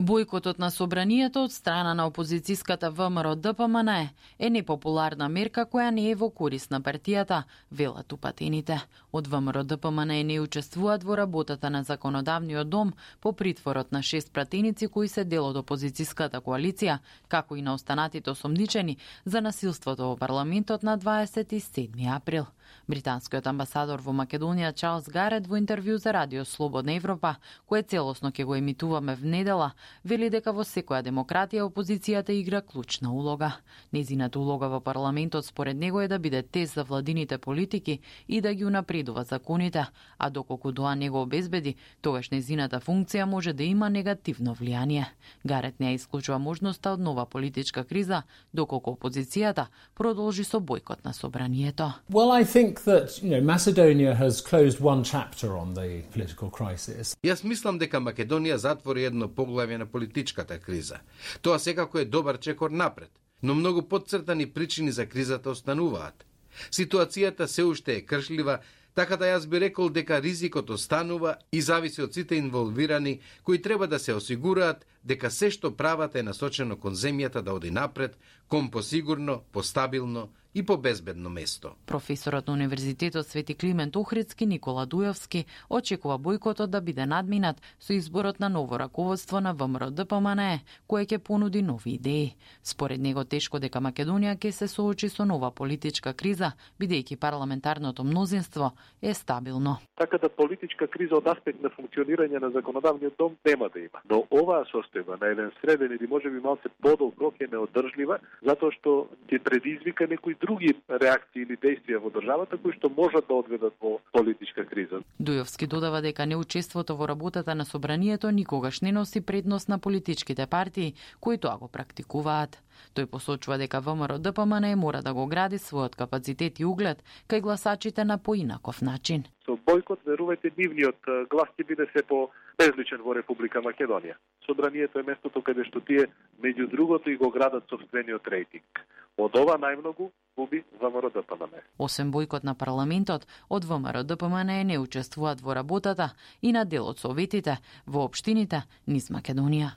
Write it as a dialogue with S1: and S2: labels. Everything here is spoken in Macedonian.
S1: Бојкотот на собранието од страна на опозицијската ВМРО-ДПМН е непопуларна мерка која не е во корист на партијата, велат упатените. Од ВМРО-ДПМН не учествуваат во работата на законодавниот дом по притворот на 6 пратеници кои се дел од опозицијската коалиција, како и на останатите осомничени за насилството во парламентот на 27 април. Британскиот амбасадор во Македонија Чарлс Гарет во интервју за Радио Слободна Европа, кое целосно ќе го емитуваме в недела, вели дека во секоја демократија опозицијата игра клучна улога. Незината улога во парламентот според него е да биде тест за владините политики и да ги унапредува законите, а доколку тоа не го обезбеди, тогаш незината функција може да има негативно влијание. Гарет не исклучува можноста од нова политичка криза, доколку опозицијата продолжи со бојкот на собранието.
S2: Well, I think that, Macedonia has closed one chapter on the political crisis.
S3: Јас мислам дека Македонија затвори едно поглавје на политичката криза. Тоа секако е добар чекор напред, но многу потцртани причини за кризата остануваат. Ситуацијата се уште е кршлива, така да јас би рекол дека ризикот останува и зависи од сите инволвирани кои треба да се осигураат дека се што прават е насочено кон земјата да оди напред, кон посигурно, постабилно и по безбедно место.
S1: Професорот на Универзитетот Свети Климент Охридски Никола Дујовски очекува бојкотот да биде надминат со изборот на ново раководство на ВМРО-ДПМН, кое ќе понуди нови идеи. Според него тешко дека Македонија ќе се соочи со нова политичка криза, бидејќи парламентарното мнозинство е стабилно.
S4: Така да политичка криза од аспект на функционирање на законодавниот дом нема да има. Но оваа состојба на еден среден или можеби малце подолг рок е неодржлива, затоа што ќе предизвика некои други реакции или действија во државата кои што можат да одведат во политичка криза.
S1: Дујовски додава дека неучеството во работата на собранието никогаш не носи предност на политичките партии кои тоа го практикуваат. Тој посочува дека ВМРО-ДПМН мора да го гради својот капацитет и углед кај гласачите на поинаков начин.
S4: Со бојкот, верувајте, нивниот глас ќе биде се по безличен во Република Македонија. Собранието е местото каде што тие меѓу другото и го градат сопствениот рейтинг. Од ова најмногу губи ВМРО-ДПМН.
S1: Освен бојкот на парламентот, од ВМРО-ДПМН не учествуваат во работата и на дел од советите во општините низ Македонија.